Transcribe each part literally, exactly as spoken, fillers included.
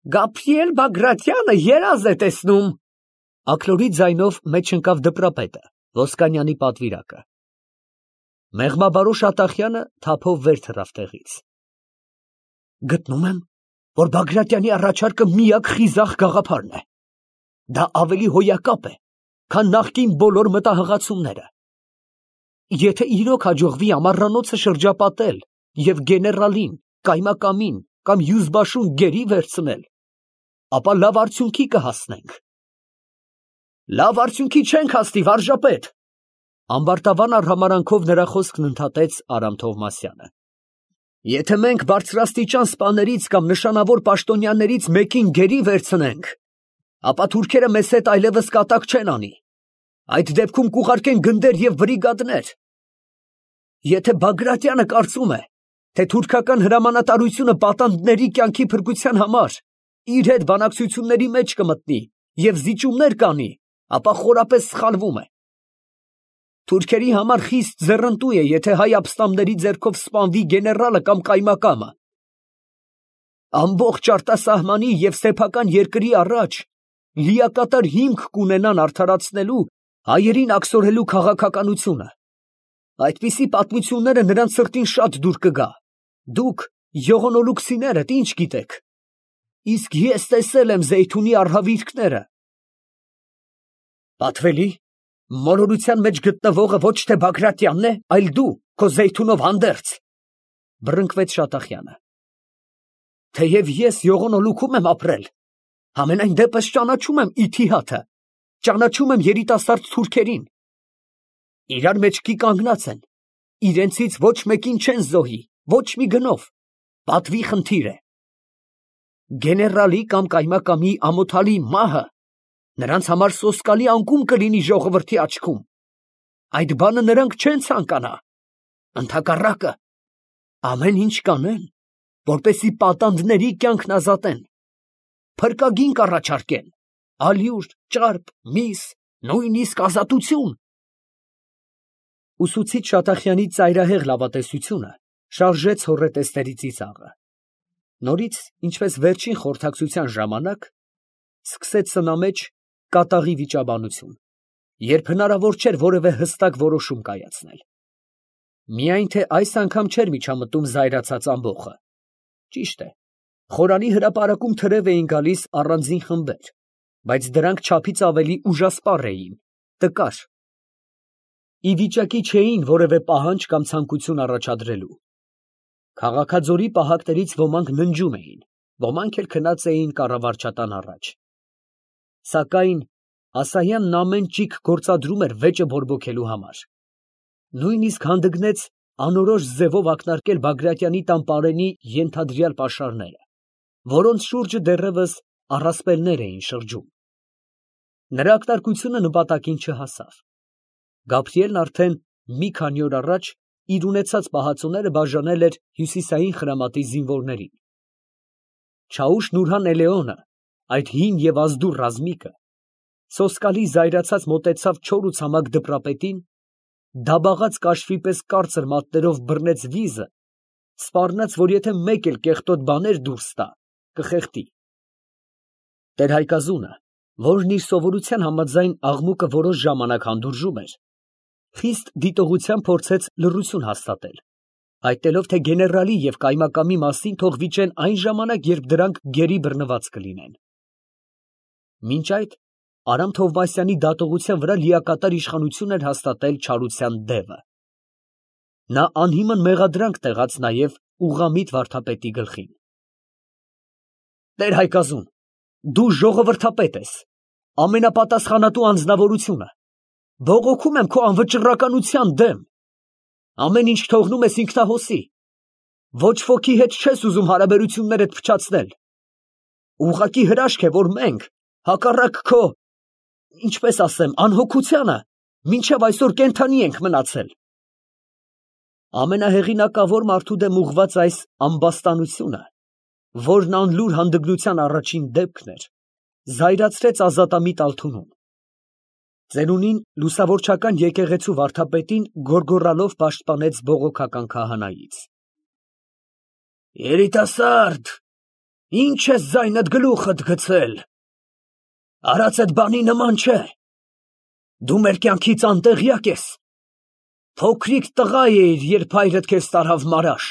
Գաբրիել Բագրատյանը երազ է տեսնում։ Աքլորի ձայնով մեջ ընկավ դպրապետը, Ոսկանյանի պատվիրակը։ Մեղմաբարոש Ատախյանը թափով վեր թռավ տեղից։ Գտնում եմ, որ Բագրատյանի առաջարկը միակ խիզախ գաղափարն է։ Դա ավելի հոյակապ է, քան նախկին բոլոր մտահղացումները։ Եթե իրոք հաջողվի ամառանոցը շրջապատել և գեներալին, կայմակամին կամՅուզբաշուն գերի վերցնել, ապա լավ արդյունքի կհասնենք։ Լավ արդյունքի չենք հասնի, վարժապետ, ամբարտավան արհամարհանքով նրա խոսքն ընդհատեց Արամ Թովմասյանը։ Եթե մենք բարձրաստիճան սպաներից կամ նշանավոր պաշտոնյաներից մեկին գերի վերցնենք, ապա թուրքերը մեզ հետ այլևս կատակ չեն անի։ Այդ դեպքում կուղարկեն գնդեր և բրիգադներ։ Եթե Բագրատյանը կարծում է, թե թուրքական հրամանատարությունը պատանդների կյանքի փրկության համար իր հետ բանակցությունների մեջ կմտնի և զիջումներ կանի, ապա խորապես սխալվում է։ Թուրքերի համար խիստ ձեռնտու է, եթե հայ ապստամբների ձեռքով սպանվի գեներալը կամ կայմակամը։ Ամբողջ արտասահմանի և սեփական երկրի առաջ լիակատար հիմք կունենան արդարացնելու, հայերին աքսորելու քաղաքականությունը։ Այդպիսի պատմությունները նրանց սրտին շատ դուր կգա։ Դուք, յողոնոլուկսիներդ, ինչ գիտեք։ Իսկ ես տեսել եմ Զեյթունի արհավիրքները։ Պատվելի, մոլորության մեջ գտնվողը ոչ թե Բագրատյանն է, այլ դու, քո Զեյթունով հանդերձ, բռնկվեց Շատախյանը։ Թեև ես յողոնոլուքում եմ ապրել, համենայն դեպս ճանաչում եմ Իթիհադը, ճանաչում եմ երիտասարդ թուրքերին։ Իրար մեջքի կանգնած են, իրենցից ոչ մեկին չեն զոհի, ոչ մի գնով, պատվի խնդիր է։ Գեներալի կամ կայմակամի ամոթալի մահը նրանց համար սոսկալի անկում կլինի ժողովրդի աչքում։ Այդ բանը նրանք չեն ցանկանա։ Ընդհակառակը, ամեն ինչ կանեն, որպեսզի պատանդների կյանքն ազատեն, փրկագին կառաջարկեն, ալյուր, ճարպ, միս, նույնիսկ ազատություն։ Ուսուցիչ Շատախյանի ծայրահեղ լավատեսությունը շարժեց հոռետեսների ծիծաղը։ Նորից, ինչպես վերջին խորհրդակցության ժամանակ, սկսեց սնամեջ կատաղի վիճաբանություն, երբ հնարավոր չէր որևէ հստակ որոշում կայացնել։ Միայն թե այս անգամ չէր միջամտում զայրացած ամբոխը։ Ճիշտ է, խորանի հրապարակում թրև էին գալիս առանձին խմբեր, բայց դրանք չափից ավելի ուժասպառ էին, տկար։ Ի վիճակի չէին որևէ պահանջ կամ ցանկություն առաջադրելու։ Քաղաքաձորի պահակներից ոմանք ննջում էին, ոմանք էլ քնած էին կառավարչատան առաջ։ Սակայն Ասայանն ամեն ճիգ գործադրում էր վեճը բորբոքելու համար։ Նույնիսկ հանդգնեց անորոշ ձևով ակնարկել Բագրատյանի տան պարենի ենթադրյալ պաշարները, որոնց շուրջը դեռևս առասպելներ էին շրջում։ Նրա ակնարկությունը նպատակին չհասավ։ Գաբրիելն արդեն մի քանի օր առաջ իր ունեցած պահածոները բաժանել էր հյուսիսային խրամատի զինվորներին։ Չաուշ-Նուրհան Էլեոնը, այդ հին և ազդուր ռազմիկը, սոսկալի զայրացած մոտեցավ չոր ու ցամաք դպրապետին, դաբաղած կաշվի պես կարծր մատներով բռնեց վիզը, սպառնաց, որ եթե մեկ էլ կեղտոտ բաներ դուրս տա, կխեղդի։ Տեր֊Հայկազունը, որն իր սովորության համաձայն աղմուկը որոշ ժամանակ հանդուրժում էր, խիստ դիտողությամբ փորձեց լռություն հաստատել, հայտնելով, թե գեներալի և կայմակամի մասին թող վիճեն այն ժամանակ, երբ դրանք գերի բռնված կլինեն։ Մինչ այդ Արամ Թովմասյանի դատողության վրա լիակատար իշխանություն էր հաստատել չարության դևը։ Նա անհիմն մեղադրանք տեղաց նաև ուղղամիտ վարդապետի գլխին։ Տեր֊Հայկազուն, դու ժողովրդապետ ես, ամենապատասխանատու անձնավորությունը, բողոքում եմ քո անվճռականության դեմ, ամեն ինչ թողնում ես ինքնահոսի, ոչ ոքի հետ չես ուզում հարաբերություններդ փչացնել, ուղղակի հրաշք է, որ մենք, հակառակ քո, ինչպես ասեմ, անհոգությանը, մինչև այսօր կենդանի ենք մնացել։ Ամենահեղինակավոր մարդու դեմ ուղղված այս ամբաստանությունը, որն անլուր հանդգնության առաջին դեպքն էր, զայրացրեց ազատամիտ Ալթունուն։ Ծերունին լուսավորչական եկեղեցու վարդապետին գոռգոռալով պաշտպանեց բողոքական քահանայից։ Երիտասարդ, Ինչ ես ձայնդ գլուխդ գցել։ Արածդ բանի նման չէ։ Դու մեր կյանքից անտեղյակ ես։ Փոքրիկ տղա էիր, երբ հայրդ քեզ տարավ մարաշ։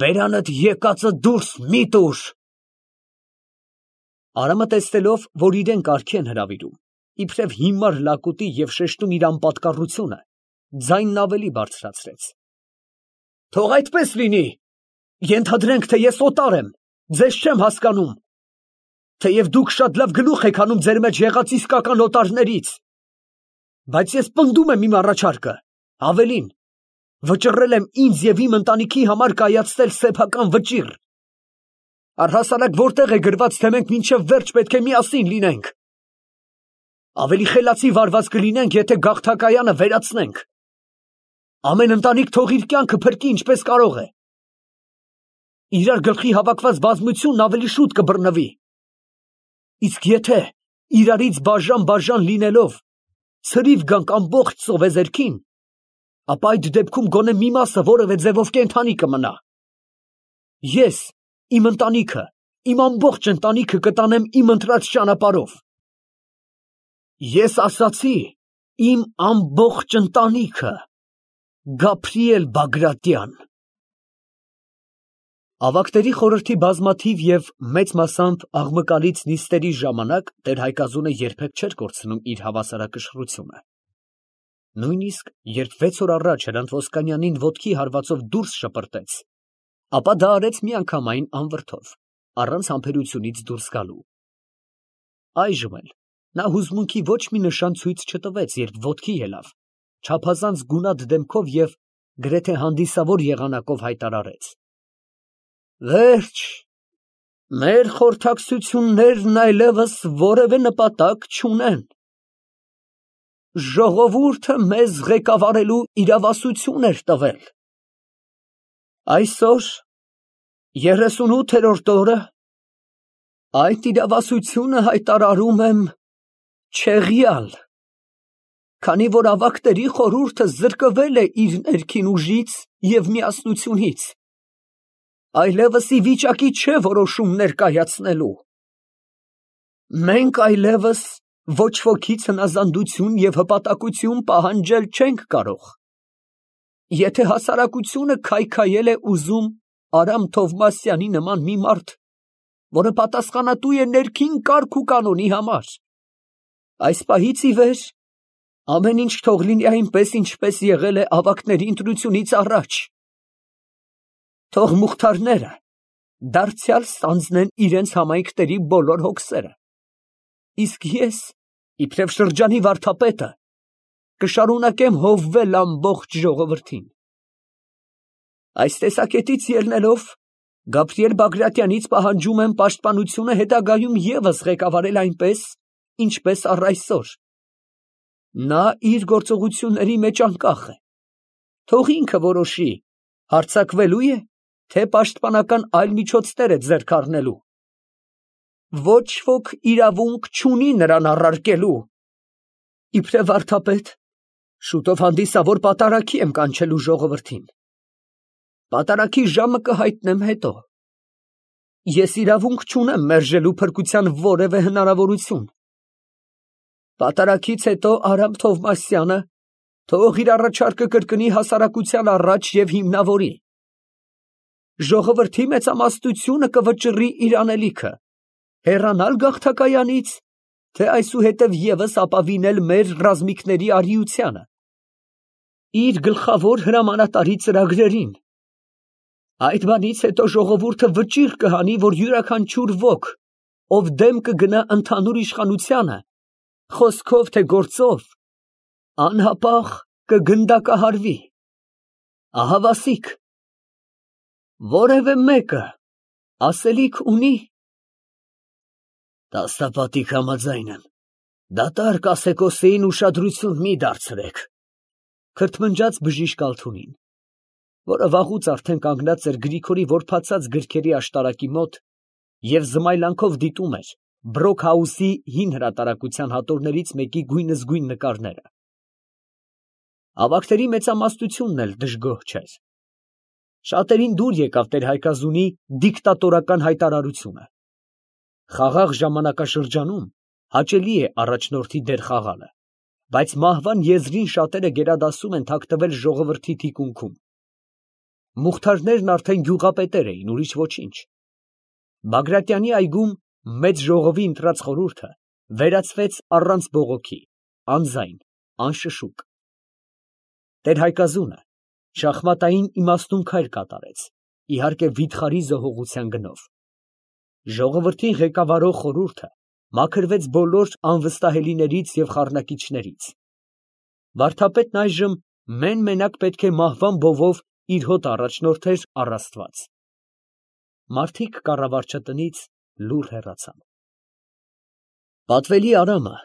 Բերանդ եկածը դուրս մի տուր։ Արամը տեսնելով, որ իրեն կարգի են հրավիրում, իբրև հիմար լակուտի և շեշտում իր անպատկառությունը, ձայնն ավելի բարձրացրեց։ Թող այդպես լինի, ենթադրենք, թե ես օտար եմ, ձեզ չեմ հասկանում, թեև դուք շատ լավ գլուխ եք հանում ձեր մեջ եղած իսկական օտարներից, բայց ես պնդում եմ իմ առաջարկը, ավելին, վճռել եմ ինձ և իմ ընտանիքի համար կայացնել սեփական վճիռ։ Առհասարակ որտեղ է գրված, թե մենք մինչև վերջ պետք է միասին լինենք։ Ավելի խելացի վարված կլինենք, եթե գաղթակայանը վերացնենք։ Ամեն ընտանիք թող իր կյանքը փրկի ինչպես կարող է։ Իրար գլխի հավաքված բազմությունն ավելի շուտ կբռնվի։ Իսկ եթե իրարից բաժան-բաժան լինելով ցրիվ գանք ամբողջ ծովեզերքին, ապա այդ դեպքում գոնե մի մասը որևէ ձևով կենդանի կմնա։ Ես, իմ ընտանիքը, իմ ամբողջ ընտանիքը կտանեմ իմ ընտրած ճանապարհով։ Ես ասացի, իմ ամբողջ ընտանիքը, Գաբրիել Բագրատյան։ Ավագների խորհրդի բազմաթիվ և մեծ մասամբ աղմկալից նիստերի ժամանակ տեր Հայկազունը երբեք չէր կորցնում իր հավասարակշռությունը։ Նույնիսկ երբ վեց օր առաջ Հրանտ Ոսկանյանին ոտքի հարվածով դուրս շպրտեց, ապա դա արեց միանգամայն անվրդով, առանց համբերությունից դուրս գալու։ Այժմ էլ նա հուզմունքի ոչ մի նշան ցույց չտվեց, երբ ոտքի ելավ, չափազանց գունատ դեմքով և գրեթե հանդիսավոր եղանակով հայտարարեց. Վերջ, մեր խորհրդակցություններն այլևս որևէ նպատակ չունեն։ Ժողովուրդը մեզ ղեկավարելու իրավասություն էր տվել։ Այսօր, երեսունութերորդ օրը, այդ իրավասությունը հայտարարում եմ չեղյալ, քանի որ ավագների խորհուրդը զրկվել է իր ներքին ուժից և միասնությունից, այլևս ի վիճակի չէ որոշումներ կայացնելու։ Մենք այլևս ոչ ոքից հնազանդություն և հպատակություն պահանջել չենք կարող։ Եթե հասարակությունը քայքայել է ուզում Արամ Թովմասյանի նման մի մարդ, որը պատասխանատու է ներքին կարգ ու կանոնի համար, այս պահից ի վեր ամեն ինչ թող լինի այնպես, ինչպես եղել է ավագների ընտրությունից առաջ։ Թող մուխթարները դարձյալ ստանձնեն իրենց համայնքների բոլոր հոգսերը, իսկ ես, իբրև շրջանի վարդապետը, կշարունակեմ հովվել ամբողջ ժողովրդին։ Այս տեսակետից ելնելով, Գաբրիել Բագրատյանից պահանջում եմ պաշտպանությունը հետագայում ևս ղեկավարել այնպես, ինչպես առ այսօր։ Նա իր գործողությունների մեջ անկախ է, թող ինքը որոշի, հարձակվելու է, թե պաշտպանական այլ միջոցներ է ձեռք առնելու։ Ոչ ոք իրավունք չունի նրան առարկելու։ Իբրև վարդապետ, շուտով հանդիսավոր պատարագի եմ կանչելու ժողովրդին։ Պատարագի ժամը կհայտնեմ հետո։ Ես իրավունք չունեմ մերժելու փրկության որևէ հնարավորություն։ Պատարագից հետո Արամ Թովմասյանը թող իր առաջարկը կրկնի հասարակության առաջ և հիմնավորի։ Ժողովրդի մեծամասնությունը կվճռի իր անելիքը, հեռանալ գաղթակայանից, թե այսուհետև ևս ապավինել մեր ռազմիկների արիությանը, իր գլխավոր հրամանատարի ծրագրերին։ Այդ բանից հետո ժողովուրդը վճիռ կհանի, որ յուրաքանչյուր ոք, ով դեմ կգնա ընդհանուր իշխանությանը, խոսքով թե գործով, անհապաղ կգնդակահարվի։ Ահավասիկ, որևէ մեկը ասելիք ունի։ Տասնապատիկ համաձայն եմ, դատարկ Ասեկոսեին ուշադրություն մի դարձրեք, քրթմնջաց բժիշկ Ալթունին, որը վաղուց արդեն կանգնած էր Գրիգորի որբացած գրքերի աշտարակի մոտ և զմայլանքով դիտում էր Բրոքհաուսի հին հրատարակության հատորներից մեկի գույնզգույն նկարները։ Ավագների մեծամասնությունն էլ դժգոհ չէր։ Շատերին դուր եկավ տեր-Հայկազունի դիկտատորական հայտարարությունը։ Խաղաղ ժամանակաշրջանում հաճելի է առաջնորդի դեր խաղալը, բայց մահվան եզրին շատերը գերադասում են թաքնվել ժողովրդի թիկունքում։ Մուղթարներն արդեն գյուղապետեր էին, ուրիշ ոչինչ։ Բագրատյանի այգում մեծ ժողովի ընտրած խորհուրդը վերացվեց առանց բողոքի, անձայն, անշշուկ։ Տեր-Հայկազունը շախմատային իմաստուն քայլ կատարեց, իհարկե վիթխարի զոհողության գնով։ Ժողովրդին ղեկավարող խորհուրդը մաքրվեց բոլոր անվստահելիներից և խառնակիչներից։ Վարդապետն այժմ մեն֊մենակ պետք է մահվան բովով իր հոտը առաջնորդեր առ Աստված։ Մարդիկ կառավարչատնից լուռ հեռացան։ Պատվելի Արամը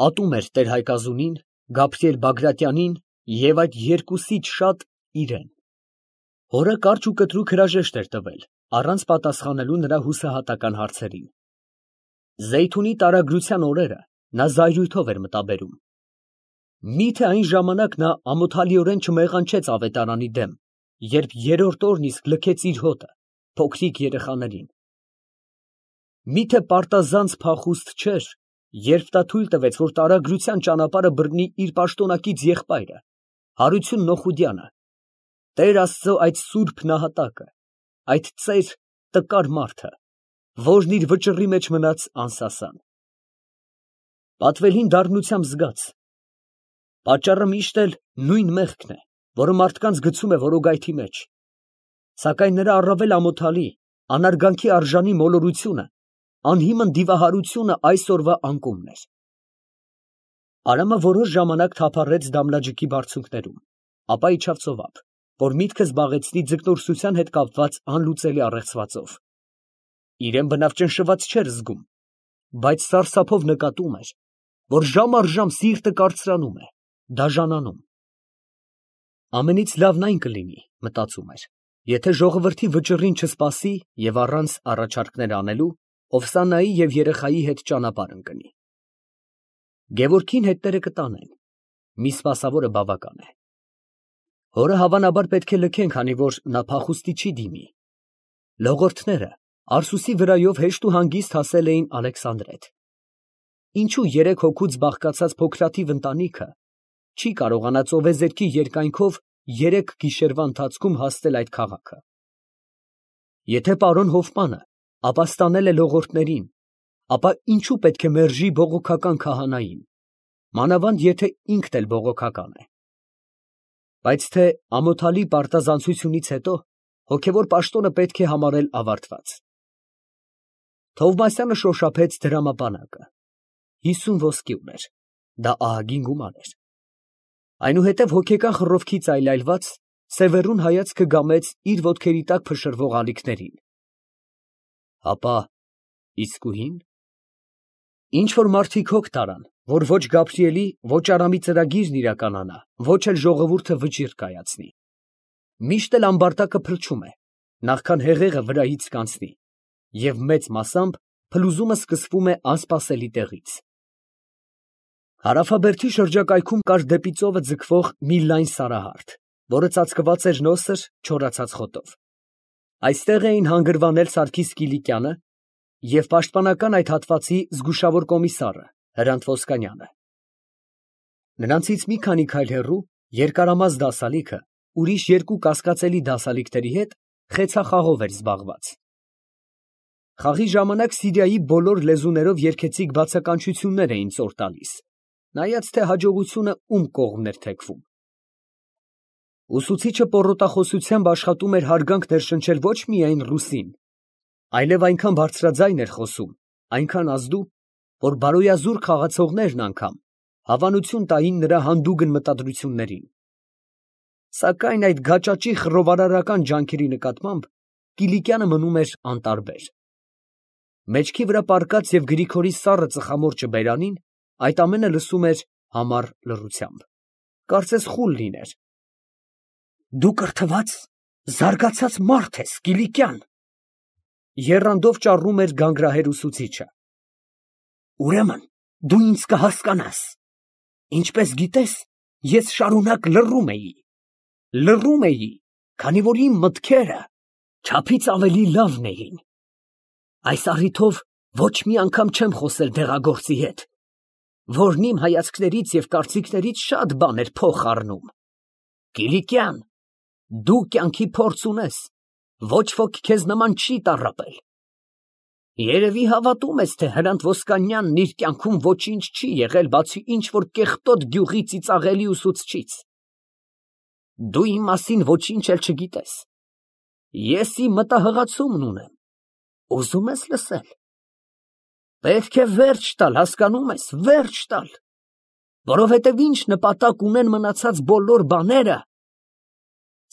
ատում էր տեր-Հայկազունին, Գաբրիել Բագրատյանին և այդ երկուսից շատ իրան։ Հորը կարճ ու կտրուկ հրաժեշտ էր տվել, առանց պատասխանելու նրա հուսահատական հարցերին։ Զեյթունի տարագրության օրերը նա զայրույթով էր մտաբերում։ Մի՞թե այն ժամանակ նա ամոթալիորեն չմեղանչեց ավետարանի դեմ, երբ երրորդ օրն իսկ լքեց իր հոտը, փոքրիկ երեխաներին։ Մի՞թե պարտազանց փախուստ չէր, երբ նա թույլ տվեց, որ տարագրության ճանապարհը բռնի իր պաշտոնակից եղբայրը, Հարություն Նոխուդյանը, Տեր Աստծո այդ սուրբ նահատակը, այդ ծեր տկար մարդը, որն իր վճռի մեջ մնաց անսասան։ Պատվելին դառնությամբ զգաց. պատճառը միշտ էլ նույն մեղքն է, որը մարդկանց գցում է որոգայթի մեջ, սակայն նրա առավել ամոթալի, անարգանքի արժանի մոլորությունը, անհիմն դիվահարությունը այսօրվա անկումն էր։ Արամը որոշ ժամանակ թափառեց Դամլաջիկի բարձունքներում, ապա իջավ ծովափ, որ միտքը զբաղեցնի ձկնորսության հետ կապված անլուծելի առեղծվածով։ Իրան բնավ ճնշված չէր զգում, բայց սարսափով նկատում էր, որ ժամ առ ժամ սիրտը կարծրանում է, դաժանանում։ Ամենից լավն այն կլինի, մտածում էր, եթե ժողովրդի վճռին չսպասի և առանց առաջարկներ անելու, Օվսանայի և երեխայի հետ ճանապարհ ընկնի։ Գևորգին հետները կտանեն, մի սպասավորը բավական է։ Հորը հավանաբար պետք է լքեն, քանի որ նա փախուստի չի դիմի։ Լողորդները Արսուսի վրայով հեշտ ու հանգիստ հասել էին Ալեքսանդրետ։ Ինչու երեք հոգուց բաղկացած փոքրաթիվ ընտանիքը չի կարողանա ծովեզերքի երկայնքով երեք գիշերվա ընթացքում հասնել այդ քաղաքը։ Եթե պարոն Հոֆմանը ապաստանել է լողորդներին, ապա ինչու պետք է մերժի բողոքական քահանային, մանավանդ եթե ինքն էլ բողոքական է։ Բայց թե ամոթալի պարտազանցությունից հետո հոգևոր պաշտոնը պետք է համարել ավարտված։ Թովմասյանը շոշափեց դրամապանակը։ Հիսուն ոսկի ուներ, դա ահագին գումար էր։ Այնուհետև հոգեկան խռովքից այլայլված, Սևեռուն հայացքը գամեց իր ոտքերի տակ փշրվող ալիքներին։ Հապա իսկույն։ Ինչ որ մարդիկ հոգ տարան, որ ոչ Գաբրիելի, ոչ Արամի ծրագիրն իրականանա, ոչ էլ ժողովուրդը վճիռ կայացնի։ Միշտ էլ ամբարտակը փլչում է, նախքան հեղեղը վրայից կանցնի, և մեծ մասամբ փլուզումը սկսվում է անսպասելի տեղից։ Հարավաբերդի շրջակայքում կար դեպի ծովը ձգվող մի լայն սարահարթ, որը ծածկված էր նոսր, չորացած խոտով։ Այստեղ էին հանգրվանել Սարգիս Կիլիկյանը և պաշտպանական այդ հատվածի զգուշավոր կոմիսարը Հրանտ Ոսկանյանը։ Նրանցից մի քանի քայլ հեռու երկարամաս դասալիքը ուրիշ երկու կասկածելի դասալիքների հետ խեցախաղով էր զբաղված։ Խաղի ժամանակ Սիրիայի բոլոր լեզուներով երգեցիկ բացականչություններ էին ծոր տալիս, նայած թե հաջողությունը ում կողմն էր թեքվում։ Ուսուցիչը պոռոտախոսությամբ աշխատում էր հարգանք ներշնչել ոչ միայն ռուսին, այլև այնքան բարձրաձայն էր խոսում, այնքան ազդու, որ բարոյազուր խաղացողներն անգամ հավանություն տային նրա հանդուգն մտադրություններին։ Սակայն այդ գաճաճի խռովարարական ջանքերի նկատմամբ Կիլիկյանը մնում էր անտարբեր։ Մեջքի վրա պառկած և Գրիգորի սառը ծխամորճը բերանին այդ ամենը լսում էր համառ լռությամբ, կարծես խուլ լիներ։ Դու կրթված, զարգացած մարդ ես, Կիլիկյան, եռանդով ճառում էր գանգրահեր ուսուցիչը։ Ուրեմն դու ինձ կհասկանաս։ Ինչպես գիտես, ես շարունակ լռում էի, լռում էի, քանի որ իմ մտքերը չափից ավելի լավն էին։ Այս առիթով ոչ մի անգամ չեմ խոսել դեղագործի հետ, որն իմ հայացքներից և կարծիքներից շատ բան էր փոխ առնում։ Կիլիկյան, դու կյանքի փորձ ունես, ոչ ոք քեզ նման չի տառապել։ Երևի հավատում ես, թե Հրանտ Ոսկանյանն իր կյանքում ոչինչ չի եղել, բացի ինչ֊որ կեղտոտ գյուղի ծիծաղելի ուսուցչից։ Դու իմ մասին ոչինչ էլ չգիտես։ Ես իմ մտահղացումն ունեմ, ուզում ես լսել։ Պետք է վերջ տալ, հասկանում ես, վերջ տալ, որովհետև ինչ նպատակ ունեն մնացած բոլոր բաները։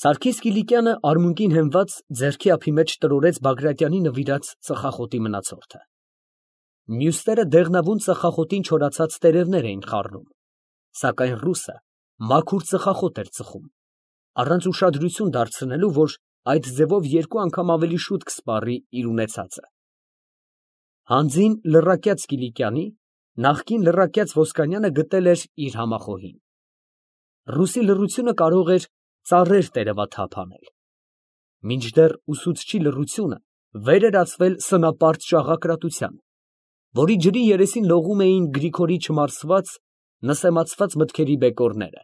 Սարգիս Կիլիկյանը արմունկին հենված ձեռքի ափի մեջ տրորեց Բագրատյանի նվիրած ծխախոտի մնացորդը։ Մյուսները դեղնավուն ծխախոտին չորացած տերևներ էին խառնում, սակայն ռուսը մաքուր ծխախոտ էր ծխում, առանց ուշադրություն դարձնելու, որ այդ ձևով երկու անգամ ավելի շուտ կսպառի իր ունեցածը։ Հանձին լռակյաց Կիլիկյանի նախկին լռակյաց Ոսկանյանը գտել էր իր համախոհին։ Ռուսի լռությունը կարող էր ծառեր տերևաթափ անել, մինչդեռ ուսուցչի լռությունը վեր էր ածվել սնապարծ շաղակրատության, որի ջրի երեսին լողում էին Գրիգորի չմարսված, նսեմացված մտքերի բեկորները։